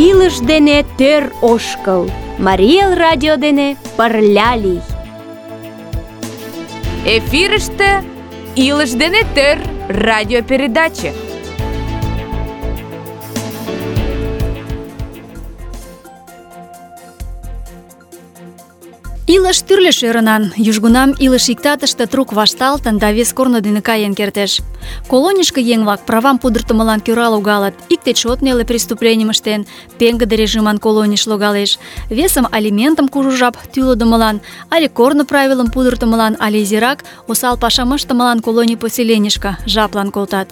Илыш дене тӧр ошкыл, Марий Эл радио дене пырля лий. Эфирыште «Илыш дене тӧр» радиопередаче. Илыш тӱрлӧ шӧрынан, южгунам илыш иктатыште трук вашталтын да вес корно дене каен кертеш. Колонийышке еҥ-влак правам пудыртымылан кӧра логалыт. Икте чот неле преступленийым ыштен, пеҥгыде режиман колонийыш логалеш, весым алиментым кужу жап тӱлыдымылан, але корно правилым пудыртымылан, але изирак осал пашам ыштымылан колоний поселенийышке жаплан колтат.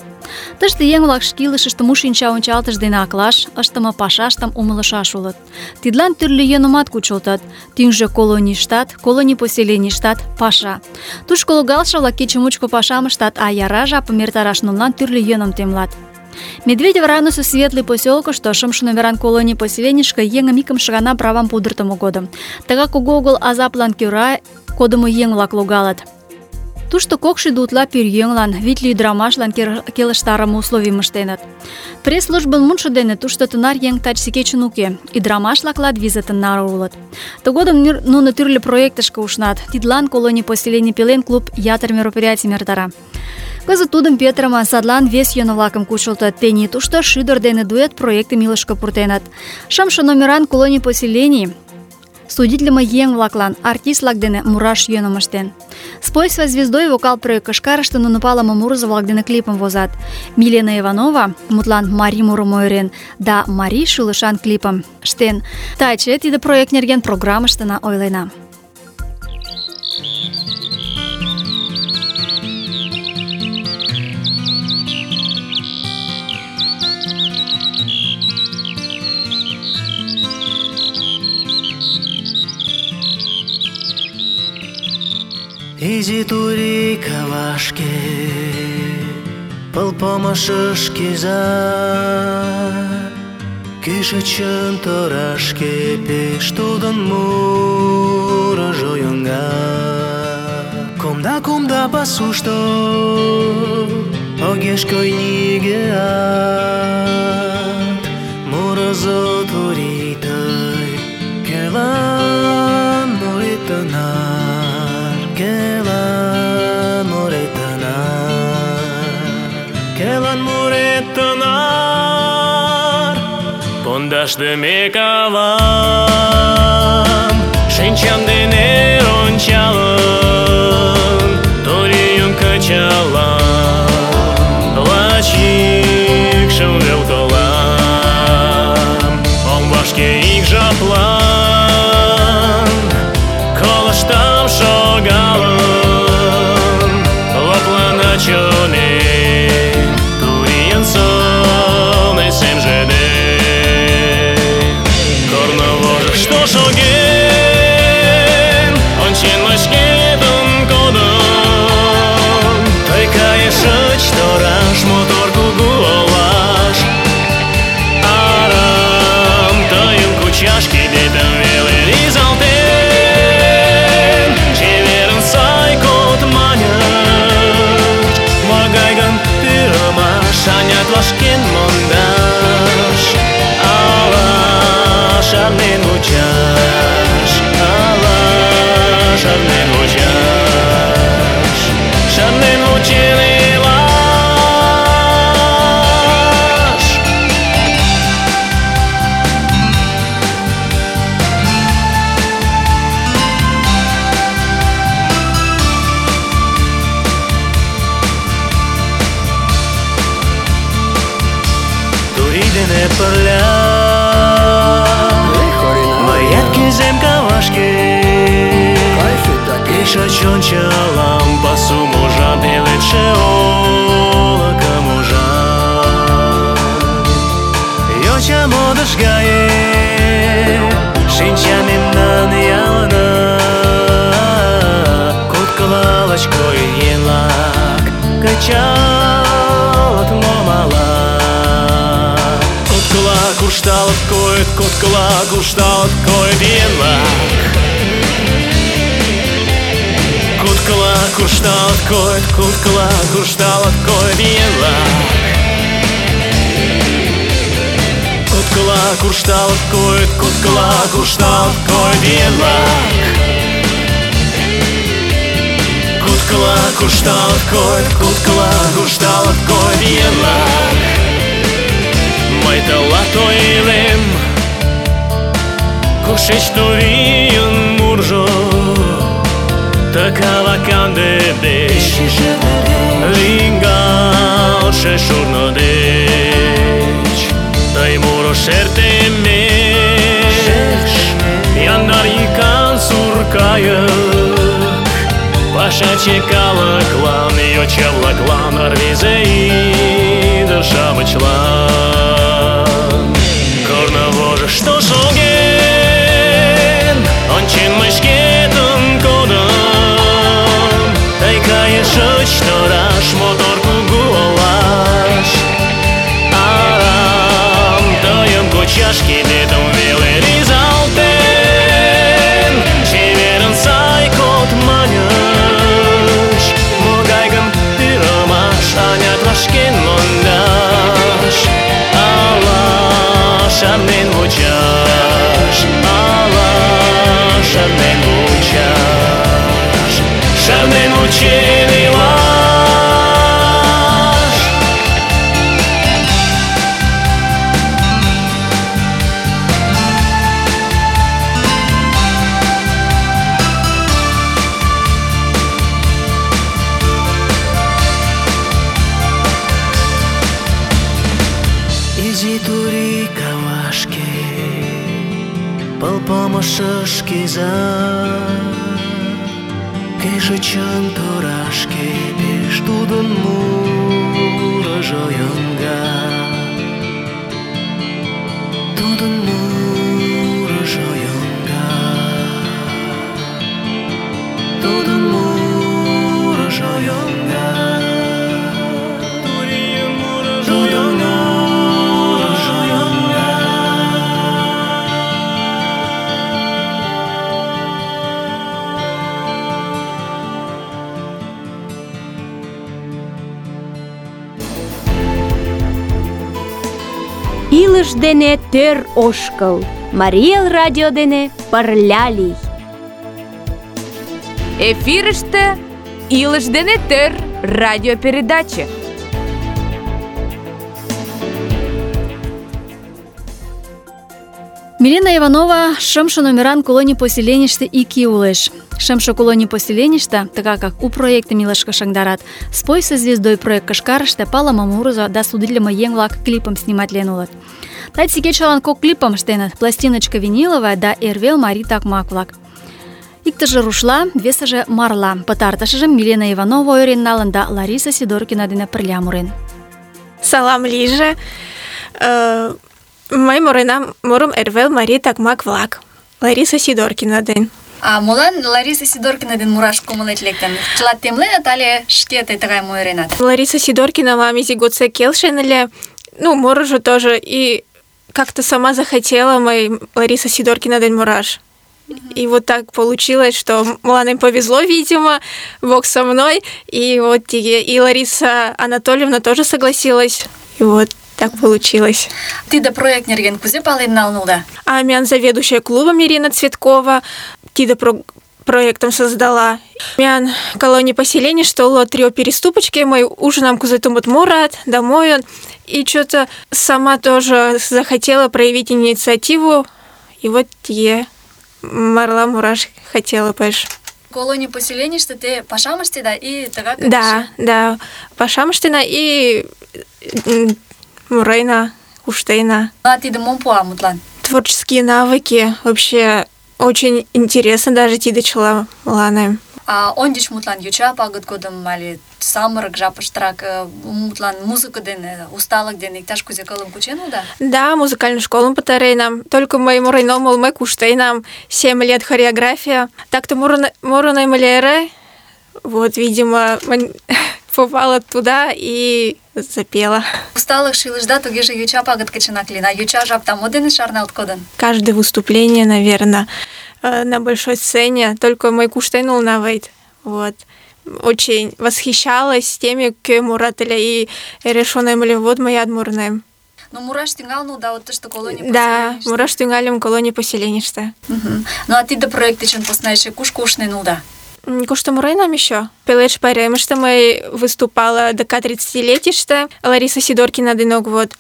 Тыште еҥ-влак шке илышыштым у шинча ончалтыш дене аклаш, ыштыме пашаштым умылышаш улыт. Тидлан тӱрлӧ йӧнымат кучылтыт. Тӱҥжӧ колонийыштат, колоний поселенийыштат паша. Тушко логалше-влак кече мучко пашам ыштат, а яра жапым эртараш нунылан тӱрлӧ йӧным темлат. Медведев районысо Светлый поселкышто шымше номеран колоний поселенийышке еҥым икымше гана правам пудыртымо годым. Тыгак кугу огыл азаплан кӧра кодымо еҥ-влак логалыт. Тушто 200 утла пӧръеҥлан, 8 ӱдырамашлан келыштарыме условийым ыштеныт. Пресс-службын мутшо дене тушто тынар еҥ таче кечын уке, ӱдырамаш-влак 200 наре улыт. Тыгодым нуно тӱрлӧ проектышке ушнат. Тидлан колоний поселений пелен клуб ятыр мероприятийым эртара. Кызыт тудым петырыме, садлан вес йӧн-влакым кучылтыт. Тений тушто шӱдыр дене дуэт проектым илышке пуртеныт. Шымше номеран колоний поселений судитлыме еҥ-влаклан артист-влак дене мураш йӧным ыштен. «Спой со звездой» вокал проект кышкарыште нуно палыме мурызо-влак дене клипым возат. Милена Иванова, мутлан марий мурым ойырен, да марий шӱлышан клипым ыштен. Таче тиде проект нерген программыштына ойлена. Изи турий кавашке, пыл помышыш киза, кӱшычын торашке пеш тудын мурыжо йоҥга. Кумда пасушто огеш кой нигӧат, мурызо турий тый, кӧлан муретынар, кӧлан муретынар, пондашдыме кавам, шинчам дене ончалын, турийым кычалам, лач йӱкшым вел колам, ом вашке ик жаплан, колыштам шогалын, лыплана чонем, турийын сылне семже ден. Корно вожышто шоген, ончен мый шкетын кодым, тый кайышыч тораш мотор кугу олаш, арам тыйым кучаш кидетым веле ризалтен, чеверын сай код маньыч, могай гын пӱрымаш, анят вашкен мондаш, ала шарнен вучаш, ала шарнен вучаш, шарнен вучен илаш. Турий дене пырля мыят кӱзем кавашке, пешак ончалам пасум ужам, пеледше олыкым ужам. Йоча модыш гае шинча мемнан ялына, куткылалыч койын еҥ-влак кычалыт ломала. Куткыла куржталыт койыт, куткыла куржталыт койыт еҥ-влак. Куткыла куржталыт койыт, куткыла куржталыт койыт еҥ-влак. Куткыла куржталыт койыт, куткыла куржталыт койыт еҥ-влак. Куткыла куржталыт койыт, куткыла куржталыт койыт еҥ-влак. Мый тылат ойлем, кушеч турийын муржо, ты калаканде деч лӱҥгалше шурно деч. Тый муро шертемеш, яндар йӱкан сур кайык, пашаче калыклан, йоча-влаклан, рвезе ӱдыр-шамычлан. Корно вожышто шоген, ончен мый шкетын кодым. Тый кайышыч тораш мотор кугу олаш. Арам тыйым кучаш кидетым веле ризалтен. Чеверын сай код маньыч, могай гын пӱрымаш, анят вашкен мондаш. Ала шарнен вучаш, ала шарнен вучаш, шарнен вучен илаш. Изи турий кавашке, пыл помышыш киза, кешычын торашке, пеш тудын мурыжо йоҥга. Тудын мурыжо йоҥга. Тудын мурыжо йоҥга. Турийын мурыжо йоҥга. Илыш дене тӧр ошкыл, Марий Эл радио дене пырля лий. Эфирыште «Илыш дене тӧр» радиопередаче. Милена Иванова шымше номеран колоний поселенийыште ик ий улеш. Шымше колоний поселенийыште, тыгак как у проектым илышке шыҥдарат, «Спой со звездой» проект кышкарыште палыме мурызо да судитлыме еҥ-влак клипым сниматлен улыт. Таче кечылан кок клипым ыштеныт: «Пластиночка виниловая» да «Эрвел марий такмак-влак». Иктыже рушла, весыже марла. Пытартышыжым Милена Иванова ойырен налын да Лариса Сидоркина дене пырля мурен. Салам лийже. Мый муренам мурым «Эрвел марий такмак-влак». Лариса Сидоркина ден. А молан Лариса Сидоркина ден мураш кумылет лектын? Чыла темленыт але шке тый тыгайым ойыренат? Лариса Сидоркина мам изи годсек келшен ыле. Мурыжо тоже. И как-то сама захотела мый Лариса Сидоркина ден мураш. И вот так получилось, что мыланем повезло, видимо, Бог со мной. И вот и Лариса Анатольевна тоже согласилась. И вот так получилось. Тиде проект нерген кузе пален налнула? А мян заведующая клубом Ирина Цветкова тиде проектом создала. Мян колония поселений, что ло трио переступочки, мой ужинам кузетумут мурат, домой он. И что-то сама тоже захотела проявить инициативу. И вот марла мураш хотела, понимаешь. Колония поселенийыште те пашам ыштеда и тыгак? Да, пашам ыштена и мурена, уштена. А тиде мом пуа мутлан? Творческие навыки. Вообще очень интересно даже тиде чыла мыланем. А ондич мутлан йоча пагыт годым але самырык жапыштырак мутлан музыка дене, усталык дене иктаж кузе кылым кучен улыда? Да, музыкальную школу пытаренам. Только мый мурен омыл, мый куштенам. 7 лет хореография. Так-то мурынем ыле. Вот, видимо, попала туда и запела. Усталык шилышда тугеже йоча пагыт кычынак лийын. А йоча жапта мо дене шарналт кодын? Каждое выступление, наверное, на большой сцене. Только мый куштен улнавайт. Вот. Очень восхищалась теми, кӧ мурат ыле, и решонем ыле, вот мыят мурынем. Но мураш тӱҥалын да вот тыште колоний Да, мураш тӱҥальым колоний поселенийыште. Ну а тиде проект дечын посна эше кушко ушнен улыда? Кушто муренам еще? Пеледыш пайремыште мый выступала ДК 30-летийыште, Лариса Сидоркина денок вот.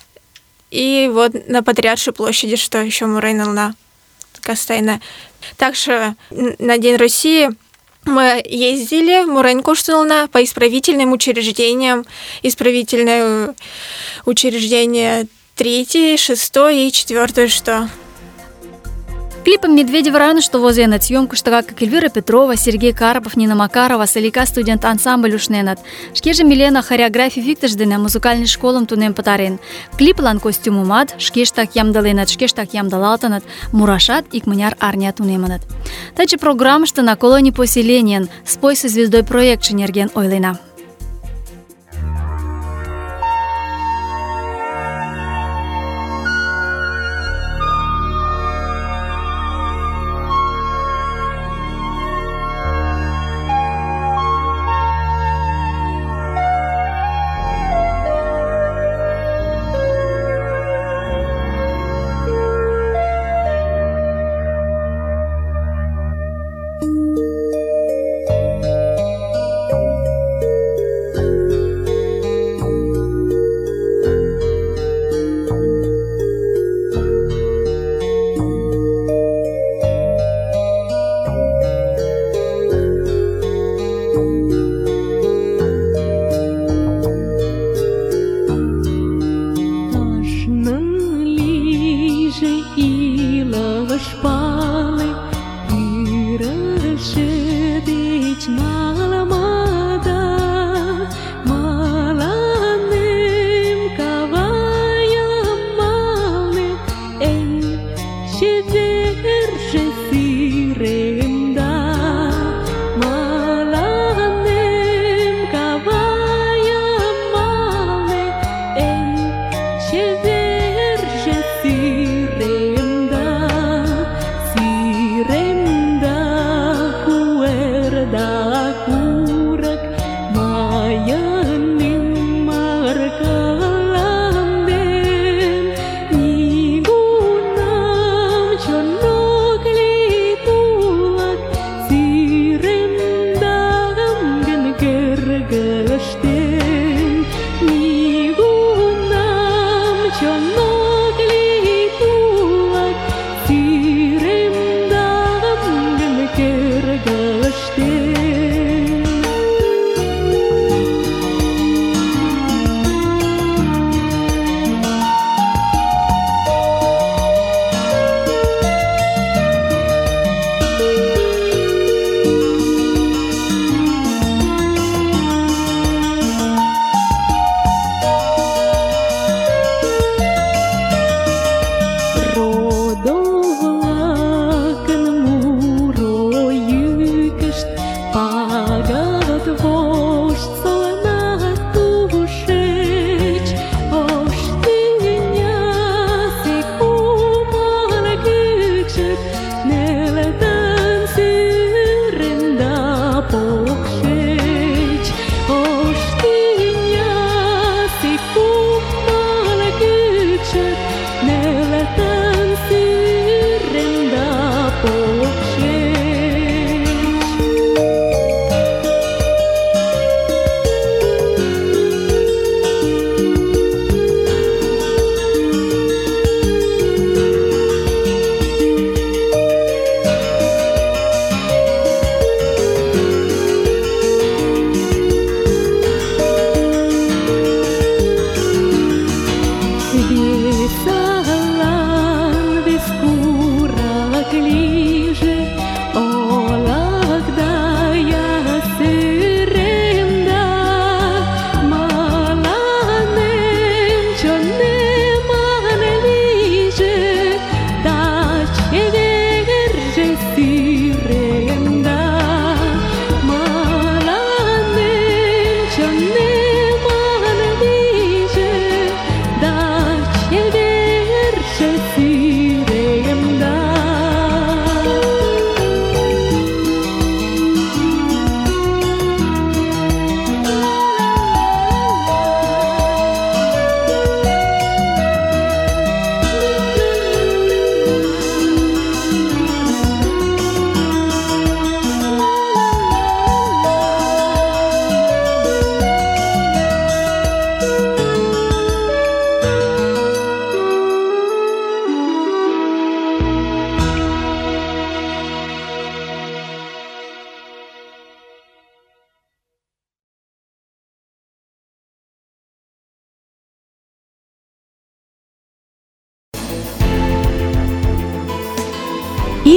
И вот на Патриаршей площади, что еще муренала постоянно. Также на День России мы ездили, мурен куштнулна по исправительным учреждениям. Исправительное учреждение 3, 6 и 4, что... Клипом Медведева районышто возеныт. Съёмкыштыга как Эльвира Петрова, Сергей Карпов, Нина Макарова, Салика студент ансамбль ушненыт. Шкеже Милена хореографий виктыш дене музыкальный школым тунем пытарен. Клиплан костюмымат шкештак ямдыленыт, шкештак ямдылалтыныт, мурашат икмыняр арня тунемыныт. Таче программыште на колоний поселенийын «Спой со звездой» проектше нерген ойлена.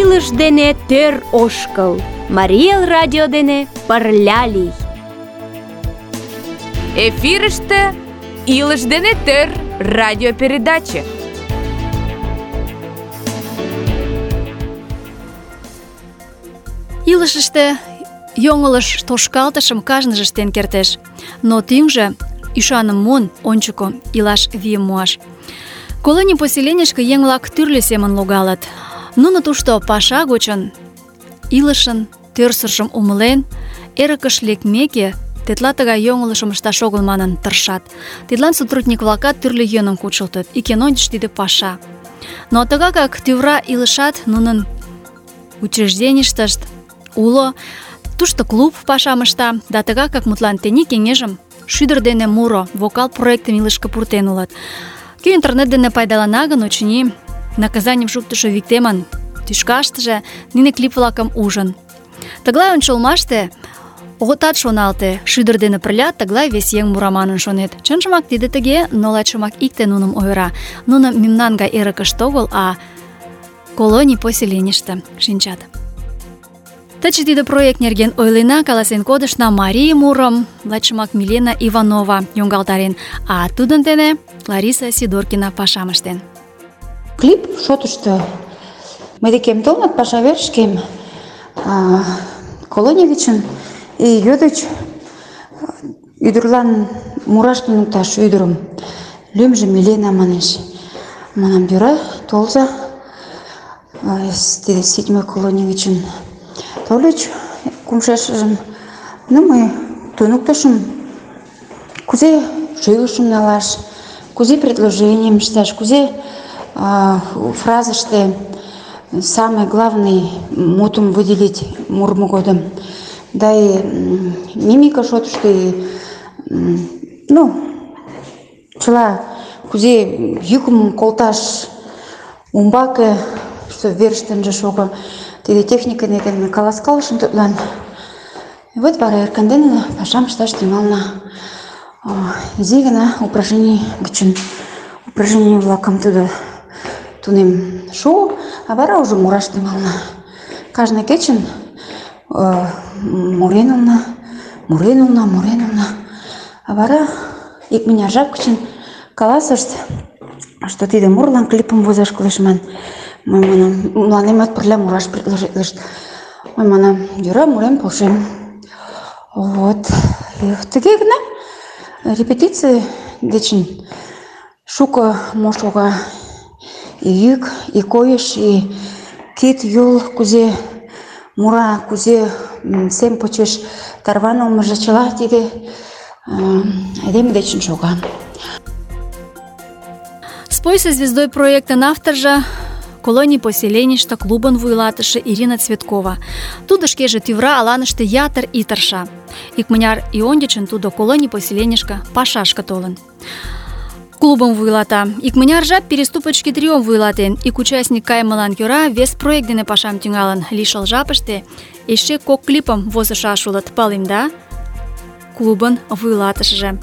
Илыш дене тӧр ошкыл. Марий Эл радио дене пырля лий. Эфирыште «Илыш дене тӧр» радиопередаче. Илышыште йоҥылыш тошкалтышым кажныже ыштен кертеш, но тӱҥжӧ ӱшаным муын ончыко илаш вийым муаш. Колоний поселенийышке еҥ-влак тӱрлӧ семын логалыт. Нуно тушто паша гочын илышын тӧрсыржым умылен, эрыкыш лекмеке, тетла тыгай йоҥылышым ышташ огыл манын тыршат. Тидлан сотрудник-влакат тӱрлӧ йӧным кучылтыт. Ик эн ончыч тиде паша. Но тыгакак тӱвра илышат нунын учрежденийыштышт уло, тушто клуб пашам ышта, да тыгакак мутлан тений кеҥежым шӱдыр дене муро, вокал проектым илышке пуртен улыт. Кӧ интернет дене пайдалана гын, очыни, наказанийым шуктышо виктемын тӱшкаштыже нине клип-влакым ужын. Тыглай ончылмаште огытат шоналте, шӱдыр дене пырля тыглай вес еҥ мура манын шонет. Чынжымак тиде тыге, но лачымак икте нуным ойыра. Нуно мемнан гай эрыкыште огыл, а колоний поселенийыште шинчат. Таче тиде проект нерген ойлена, каласен кодышна марий мурым лачымак Милена Иванова йоҥгалтарен, а тудын дене Лариса Сидоркина пашам ыштен. Клип шотышто мый декем толыныт паша верышкем колоний гычын и йодыч ӱдырлан мураш туныкташ ӱдырым. Лӱмжӧ Милена манеш. Манам, йӧра, толза. Тиде 7-й колоний гычын тольыч кумшешыжым. Ну, мый туныктышым, кузе шӱлышым налаш, кузе предложенийым ышташ, кузе фразыште самый главный мутым выделить мурмо годым. Да и мимика шотышто, чыла кузе йӱкым колташ умбаке, что верыштыже шого. Тиде техника нерген каласкалышым тудлан. Вот вара эркын пашам ышташ тӱҥална. Изи гына упражнений гычын упражнений-влакым тудо тунем шуо, а вара уже мураш тӱҥална. Кажне кечын муренылна, а вара икмыняр жап гычын каласышт, что тиде мурлан клипым возаш кӱлеш ман. Мый манам, мыланемат пырля мураш предложитлышт. Мый манам, йӧра, мурен полшем. Вот. Тыге гына репетиций дечын шуко мо шога. И йӱк, и койыш, и кид, йол, кузе мура, кузе сем почеш тарванылмыже чыла тиде айдеме дечын шога. «Спой со звездой» проектын авторжо колоний поселенийыште клубын вуйлатыше Ирина Цветкова. Тудо шкеже тӱвра аланыште ятыр ий тырша. Икмыняр ий ончычын тудо колоний поселенийышке пашашке толын. Клубым вуйлата. Икмыняр жап переступочки триом вуйлатен. Ик участник кайымылан кӧра вес проект дене пашам тӱҥалын. Лишыл жапыште эше 2 клипым возышаш улыт, палемда? Клубын вуйлатышыже.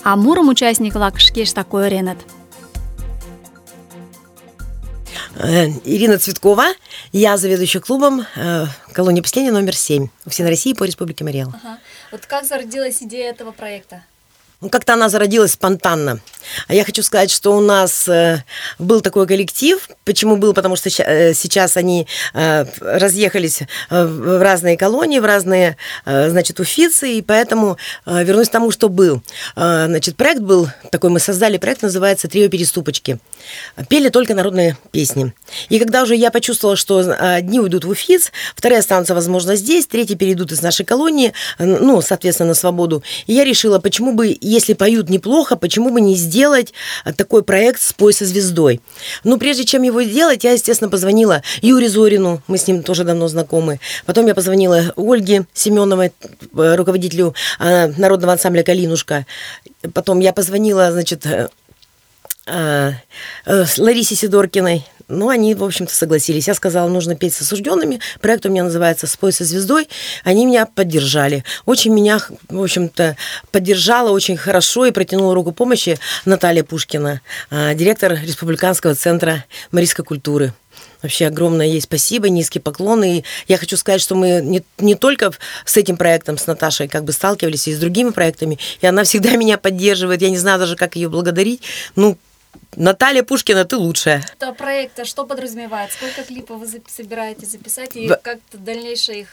А мурым участник-влак шкештак ойыреныт. Ирина Цветкова, я заведующая клубом колонии поселения номер 7 в Всей России по Республике Марий Эл. Вот как зародилась идея этого проекта? Как-то она зародилась спонтанно. Я хочу сказать, что у нас был такой коллектив. Почему был? Потому что сейчас они разъехались в разные колонии, в разные, уфицы, и поэтому вернусь к тому, что был. Проект был такой, мы создали проект, называется «Трио переступочки». Пели только народные песни. И когда уже я почувствовала, что одни уйдут в Уфиц, вторые останутся, возможно, здесь, третьи перейдут из нашей колонии, соответственно, на свободу. И я решила, почему бы, если поют неплохо, почему бы не сделать такой проект «Спой со звездой». Прежде чем его делать, я, естественно, позвонила Юрию Зорину, мы с ним тоже давно знакомы. Потом я позвонила Ольге Семеновой, руководителю народного ансамбля «Калинушка». Потом я позвонила, Ларисе Сидоркиной, Но они, в общем-то, согласились. Я сказала, нужно петь с осужденными. Проект у меня называется «Спой со звездой». Они меня поддержали. Очень меня, в общем-то, поддержала очень хорошо и протянула руку помощи Наталья Пушкина, директор Республиканского центра марийской культуры. Вообще огромное ей спасибо, низкий поклон. И я хочу сказать, что мы не только с этим проектом, с Наташей, как бы сталкивались, и с другими проектами. И она всегда меня поддерживает. Я не знаю даже, как ее благодарить. Ну, Наталья Пушкина, ты лучшая. Это проект, что подразумевает? Сколько клипов вы собираетесь записать и как-то дальнейшая их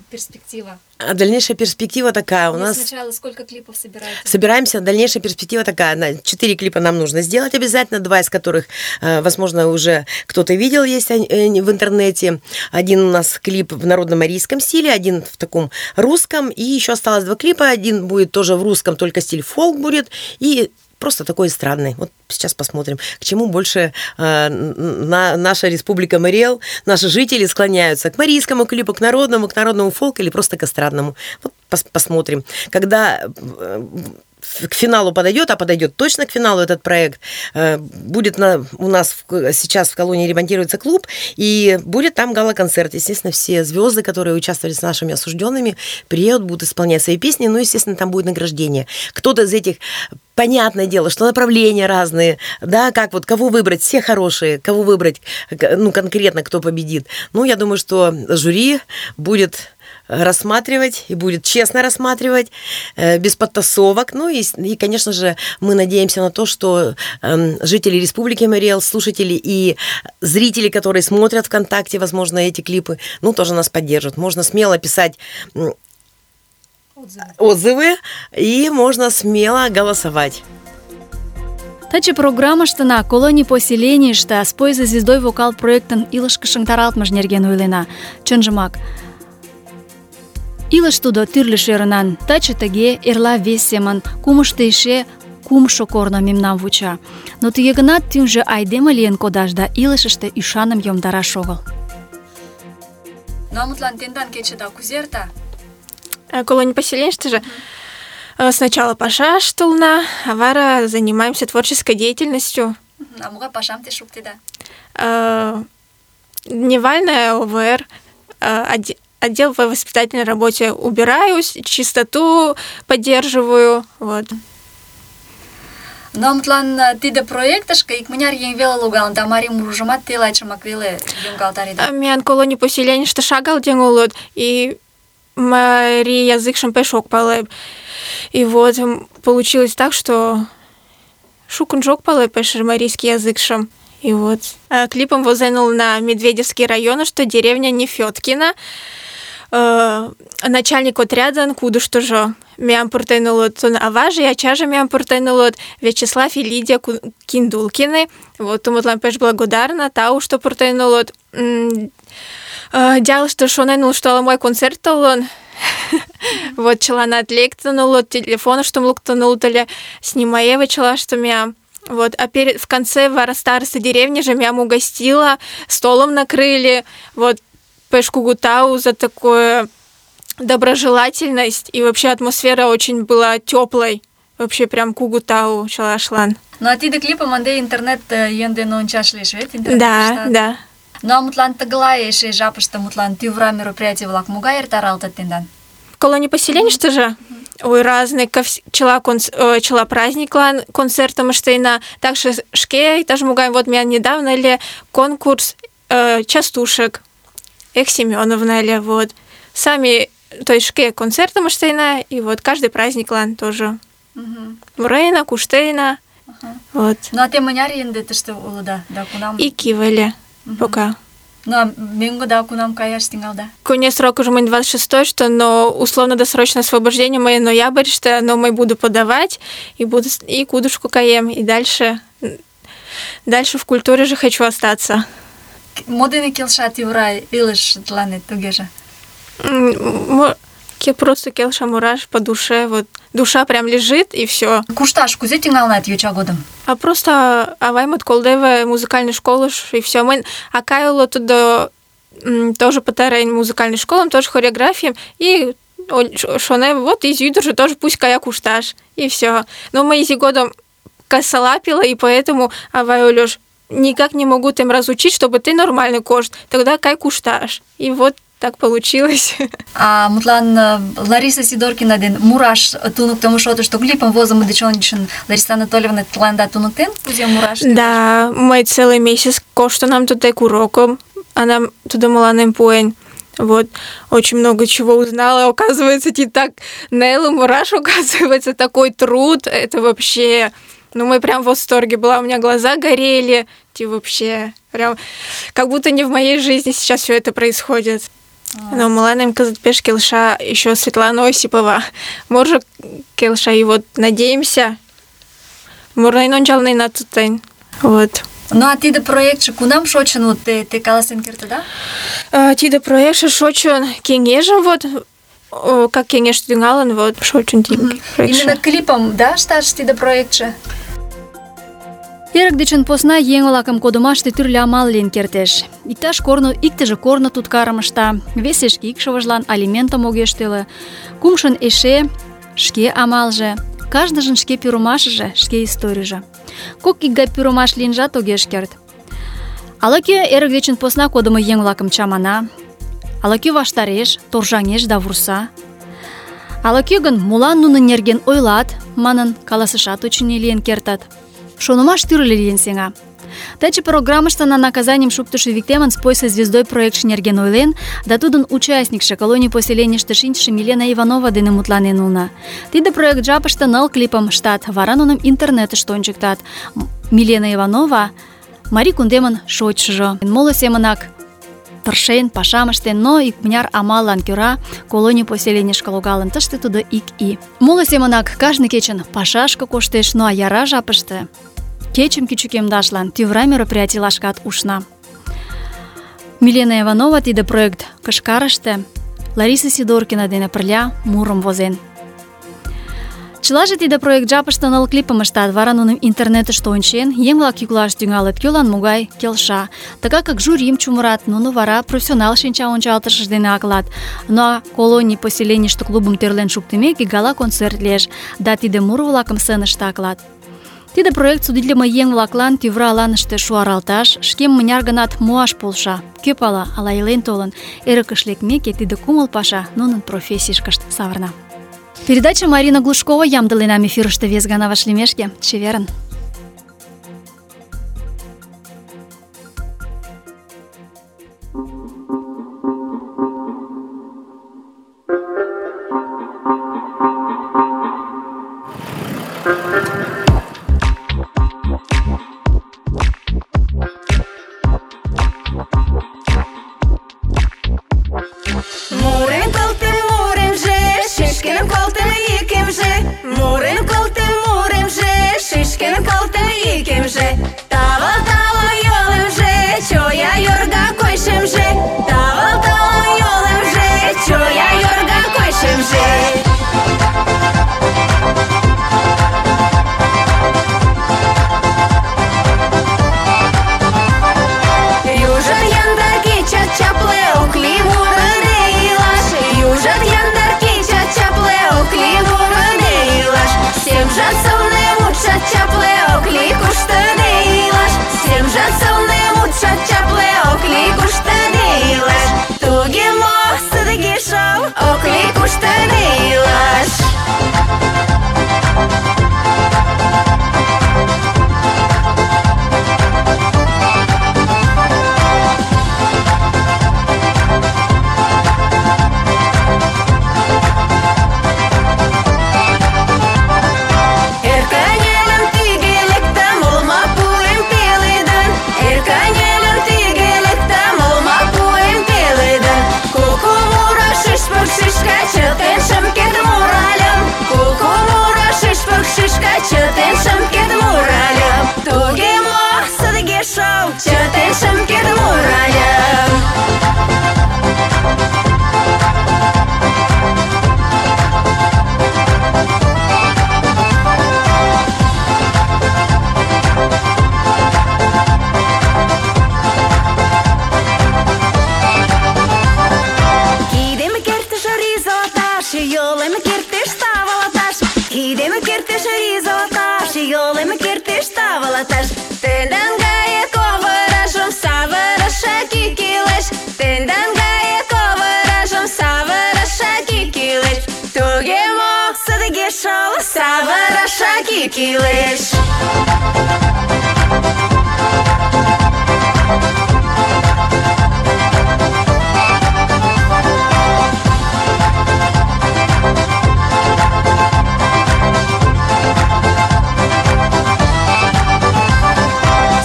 перспектива? Дальнейшая перспектива такая. У нас сначала сколько клипов собираетесь? Собираемся. Дальнейшая перспектива такая. 4 клипа нам нужно сделать обязательно, 2 из которых, возможно, уже кто-то видел, есть в интернете. Один у нас клип в народно-марийском стиле, один в таком русском, и еще осталось 2 клипа. Один будет тоже в русском, только стиль фолк будет, и просто такой странный. Вот сейчас посмотрим, к чему больше наша республика Мариэл, наши жители склоняются. К марийскому клипу, к народному фолку или просто к эстрадному. Вот посмотрим. Когда к финалу подойдет, а подойдет точно к финалу этот проект, будет у нас сейчас в колонии ремонтируется клуб, и будет там гала-концерт. Естественно, все звезды, которые участвовали с нашими осужденными, приедут, будут исполнять свои песни, ну, естественно, там будет награждение. Кто-то из этих, понятное дело, что направления разные, да, как вот, кого выбрать, все хорошие, кого выбрать, ну, конкретно, кто победит. Ну, я думаю, что жюри будет рассматривать и будет честно рассматривать, без подтасовок. Ну и, конечно же, мы надеемся на то, что жители Республики Мариэл, слушатели и зрители, которые смотрят ВКонтакте, возможно, эти клипы, ну, тоже нас поддержат. Можно смело писать отзывы и можно смело голосовать. Таче программаштына колоний поселенийыште «Спой за звездой» вокал проектын илышкышын таралтмыж нерген ойлена. Чынжымак, илыш тудо тӱрлӧ шӧрынан, таче тыге, эрла вес семын, кумышто эше кумшо корно мемнам вуча. Но тыге гынат тӱҥжӧ айдеме лийын кодаш да илышыште ӱшаным йомдараш огыл. Ну, мутлан тендан кечыда кузе эрта? Колония поселенийыште же сначала пашаш толна, а вара занимаемся творческой деятельностью. А могай пашам те шуктеда? Дневальная ОВР, отдел по воспитательной работе убираюсь, чистоту поддерживаю, вот. Но мутлан тиде проектышке икмыняр еҥ веле логалын, да марий мурыжымат телайчымак веле йоҥгалтареда. Меян колоний поселенийыште шагал еҥ улыт, и марий языкшым пеш ок пале. И вот получилось так, что шукын ок пале пеш марийский языкшым. И вот клипом возен на Медведевский район, что деревня Нефёткина. Начальник отряда кудыштыжо мям пуртен улыт аваже, ачаже мям пуртен улыт Вячеслав и Лидия Киндулкины. Вот умытлан пеш благодарна, тау, что пуртен улыт. Дялышты шонен улыт, что ала-мой концерт толын. Вот чыланат лектын улыт, телефоныштым луктын улыт ыле, снимаеве чылаштым мям. Вот, а в конце вара староста деревни же мям угостила, столом накрыли. Вот, пеш кугу тау за такую доброжелательность. И вообще атмосфера очень была теплой. Вообще прям кугу тау чалашлан. Ну, а тиде клипом анде интернет енден ончаш лиеш, вет? Да. Ну, а мутлан тыглай эше жапыште мутлан тӱвра мероприятий-влак могай эртаралтыт тендан? Колония поселенийыште же? Ой, разные, чыла праздниклан концертым ыштена. Также шке иктаж могай, вот меня недавно ли конкурс частушек. Эх, Семеновна ли, вот. Сами, то есть шке концертым ыштена, и вот каждый праздниклан тоже. Мурейна, куштейна, вот. Ну, а те мыняр енде тыште улыда, да кунам? И кивали пока. Ну, а меҥго да кунам каяш тӱҥалда? Конец срок уже мой 26-й, что, но условно-досрочное освобождение мое ноябрьште, но мы буду подавать, и кудушку каем, и дальше в культуре же хочу остаться. Мо дене келша тӱвра илыш тыланет тугеже? Просто келша мураш по душе, вот душа прям лежит, и все. Кушташ кузе тӱҥалынат йоча годым? А просто аваймот колдеве музыкальной школы, и все. Мы акаяло туда тоже пытараем музыкальной школам, тоже хореографиям, и шоне, вот из юдуржи тоже пусть кая кушташ, и все. Но мы изи годом косолапила, и поэтому авай Олёш никак не могу тем разучить, чтобы ты нормально кошт. Тогда кай кушташ. И вот так получилось. А мутлан Лариса Сидоркина ден мураш туныктымо шотышто клипым возымо деч ончычын Лариса Анатольевна тыланда туныктен, кузе мураш? Да, мый целый месяц коштынам тудек уроком. Она туда мыланем пуэн. Вот, очень много чего узнала. Оказывается, не так нело мураш, оказывается, такой труд. Это вообще... Ну, мы прям в восторге была. У меня глаза горели. И вообще, прям... Как будто не в моей жизни сейчас все это происходит. Но мыланем кызыт пеш келша еще Светлана Осипова. Может, келша, и вот надеемся. Мурнайн ончалнына туттайн. Вот. Ну, а тиде проектше кунам шочын, вот те каласен кертыда? Тиде проектше шочын кеҥежым, вот, как кеҥеж тӱҥалын, вот, шочын тиде проектше. Именно клипом, да, ышташ тиде проектше? Эрык дечын посна еҥ-влакым кодымаште тӱрлӧ амал лийын кертеш. Иктыже корно туткарым ышта, весе шке икшывыжлан алиментым огеш тӱлӧ, кумшын эше шке амалже, кажныжын шке пӱрымашыже, шке историйже. Кок икгай пӱрымаш лийынжат огеш керт. Ала-кӧ эрык дечын посна кодымо еҥ-влакым чамана, ала-кӧ ваштареш, торжаҥеш да вурса. Ала-кӧ гын молан нунын нерген ойлат, манын каласышат, очыни, лийын кертат. Шонымаш тӱрлӧ лийын сеҥа. Таче программыште на наказанием шуктышо Виктемын «Спой со звездой» проектше нерген ойлен, да тудын участникше колоний поселенийыште шинчыше Милена Иванова дене мутланен улна. Тиде проект жапыште 9 клипым ыштат, вара нуным интернетыште ончыктат. Милена Иванова марий кундемын шочшыжо. Моло семынак тыршен, пашам ыштен, но икмыняр амаллан кӧра колоний поселенийышке логалын, тыште тудо ик ий. Моло семынак кажне кечын пашашке коштеш, но а яра жапыште кечым кӱчыкемдашлан тӱвра мероприятийлашкат ушна. Милена Иванова тиде проект кышкарыште Лариса Сидоркина дене пырля мурым возен. Чылаже тиде проект жапыште 9 клипым ыштат, вара нуным интернетыште ончен, еҥ-влак йӱклаш тӱҥалыт, кӧлан могай келша. Тыгакак жюрим чумырат, нуно вара профессионал шинча ончалтышыж дене аклат. Но колоний поселенийыште клубым тӧрлен шуктымеке гала-концерт лиеш, да тиде муро-влакым сценыште аклат. Тиде проект судитлымо еҥ-влаклан тӱвра аланыште шуаралташ, шкем мыняр гынат муаш полша. Кӧ пала, ала илен толын, эрыкыш лекмеке, тиде кумыл паша нунын профессийышкышт савырна. Передача Марина Глушкова ямдыленам эфирыште вес гана вашлиймешке. Чеверын! Йолем кертеш тавалаташ, тендан гае килеш.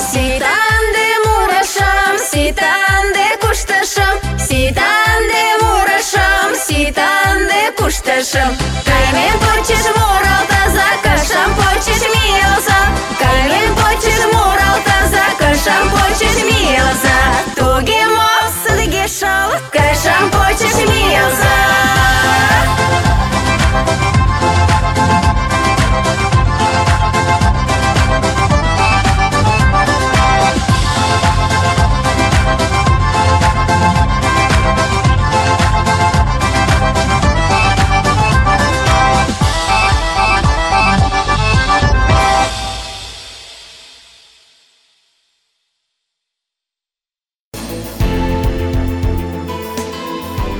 Ситанде мурашам, ситанде кушташам, ситанде мурашам, ситанде кушташам. Каймен почеш муралтаза, кышам почеш миялза. Каймен почеш муралтаза, кышам почеш миялза. Туге мол сыдыге шал, кышам почеш миялза.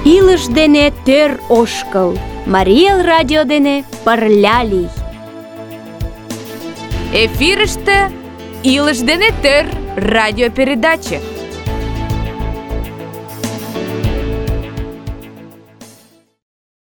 Илыш дене тӧр ошкыл. Марий Эл радио дене пырля лий. Эфирыште «Илыш дене тӧр» радиопередаче.